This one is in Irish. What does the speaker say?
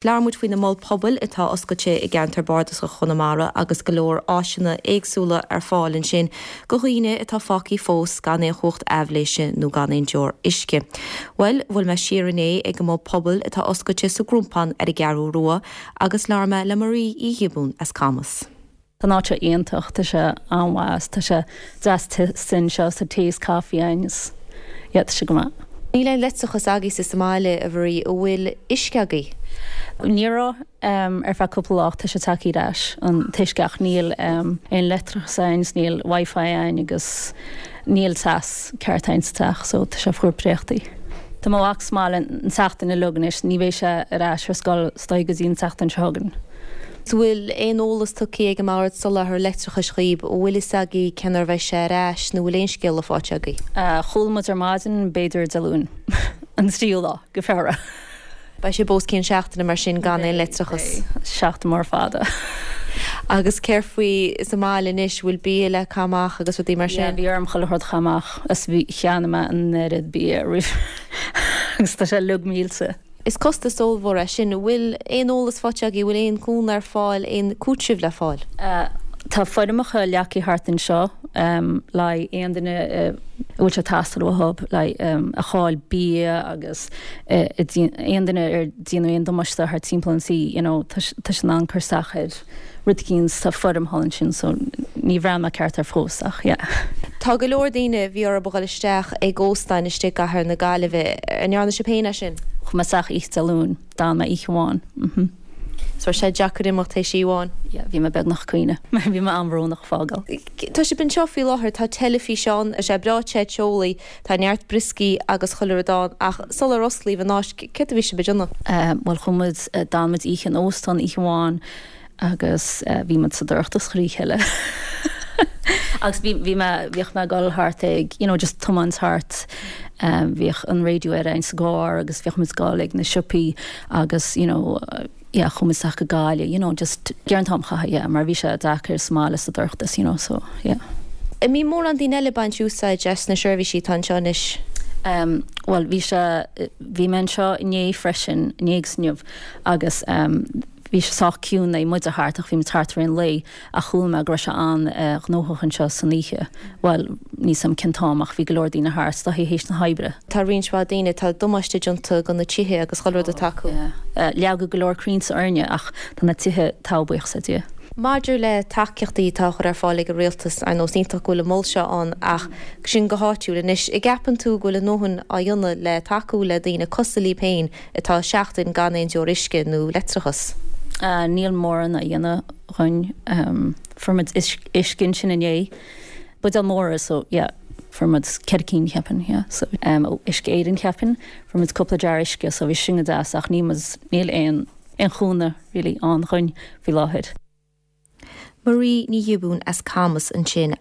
Labhair muid faoi na Moil Pobail atá oscailte i gceantar Bardasach Chonamara agus go leor áiseanna éagsúla ar fáil ansin go dhaoine atá fágthaí fós gan aon chumhacht aibhléise nó gan aon deor uisce. Bhuel, bhuail mé siar inné ag an Mol Pobail atá oscailte sa gCrompán ar an gCeathrú Rua agus labhair mé le Marie Uí Ghiobúin as Camas. Tá an áit seo iontach, tá sé an-mhaith, tá sé deas te anseo is tá tae is caife againn is yeah tá sé go maith. Níl aon leictreachas agaibhse sa mbaile, a Mharie, an bhfuil uisce agaibh? Ní raibh ar feadh cúpla lá ach tá sé tagtha ar ais, an t-uisce ach níl aon leictreachas againn is níl wifi againn agus níl teas ceart againn sa teach so tá sé fuar préachtaí. Tá mo mhac sa mbaile an tseachtain uilig anois, ní bheidh sé ar ais ar scoil is dóigh go dtí an tseachtain seo chugainn. An bhfuil aon eolas tugtha ag an mBord Soláthair Leictreachais dhaoib? An bhfuil fhios agaibh cén uair a bheidh sé ar ais nó bhfuil aon scéala faighte agaibh? Chuala muid ar maidin, b'fhéidir Dé Luain, an tríú lá de Feabhra. Beidh sibh os cionn seachtaine mar sin gan aon leictreachas. Beidh, seachtain mór fada. Agus céard faoi sa mbaile anois, bhfuil bia le caitheamh amach agus rudaí mar sin? Yeah, bhí orm chuile shórt a chaitheamh amach is bhí, cheannaigh mé an oiread bia roimh agus tá sé uilig millte. Is costas ollmhór é sin. An bhfuil aon eolas faighte agaibh, an bhfuil aon chúnamh ar fáil, aon cúiteamh le fáil? Tá foirmeacha leagtha thart anseo le haghaidh aon duine a bhfuil sé ag teastáil uathu le haghaidh a fháil bia agus aon duine ar déanadh aon damáiste thart timpeall an tí, you know, tá siad in ann cur isteach ar rud eicínt, tá foirm thall ansin so níor bhreathnaigh mé ceart air fós ach yeah. Tá go leor daoine a bhí orthu a dhul isteach ag óstáin istigh i gcathair na Gaillimhe. An ndearna sibh féin é sin? Chuaigh mé isteach oíche Dé Luain, d'fhan mé oíche amháin. Mhm. So raibh sé deacair imeacht théis oíche amháin? Yeah, bhí mé beagnach ag caoineadh. Bhí mé an-bhrónach fágáil. Tá sibh anseo faoi láthair, tá teilifís ann, tá sé breá te teolaí, tá neart brioscaí agus chuile rud ann ach sular osclaíodh an áit, céard a bhí sibh ag déanamh? Bhuel chuaigh muid, d'fhan muid oíche in óstán oíche amháin agus bhí muid sa dorchadas chuile oíche eile. Agus bhí, bhí mé, bhíodh mé ag dul thart ag, you know, just tiomáint thart, bhíodh an raidió ar againn sa gcarr agus bhíodh muid ag dul ag na siopaí agus, you know, yeah, chuaigh muid isteach go Gaillimh, you know, just ag iarraidh an t-am a chaitheamh, yeah, mar bhí sé deacair sa mbaile sa dorchadas, you know, so, yeah. An mbíonn mórán daoine eile ag baint úsáid as na seirbhísí atá anseo anois? Em, bhuel, bhí sé, bhí mé anseo inné freisin, inné agus inniu, agus, em, bhí sé sách ciúin nuair a bhí muide thart ach bhí muid thart i rith an lae ach chuala mé go raibh sé an-ghnóthach anseo san oíche, bhuel, níl 's a'm cén t-am ach bhí go leor daoine thart, is dóichí théis na hoibre. Tá roinnt mhaith daoine, tá damáiste déanta go na tithe agus chuile rud atá acu. Yeah. Leagadh go leor crainnte orainne ach tá na tithe togha, buíochas le Dia. Maidir le tacaíochtaí atá á chur ar fáil ag an rialtas, ar nós iontach go bhfuil an mol seo ann ach sin go háitiúil anois, an gceapann tú go bhfuil a ndóthain á dhéanamh le tacú le daoine cosúil libh féin atá seachtain gan aon deoir uisce nó leictreachas? Níl mórán á dhéanamh dhúinn. Fuair muid uisce ansin inné. Buidéil móra so yeah fuair muid ceithre cinn cheapfainn yeah so ó Uisce Éireann cheapfainn fuair muid cúpla jar uisce so bhí sin go deas ach níl muid níl aon aon chúnamh really ann dhúinn faoi láthair. Marie Ní Ghiobúin as Camas ansin.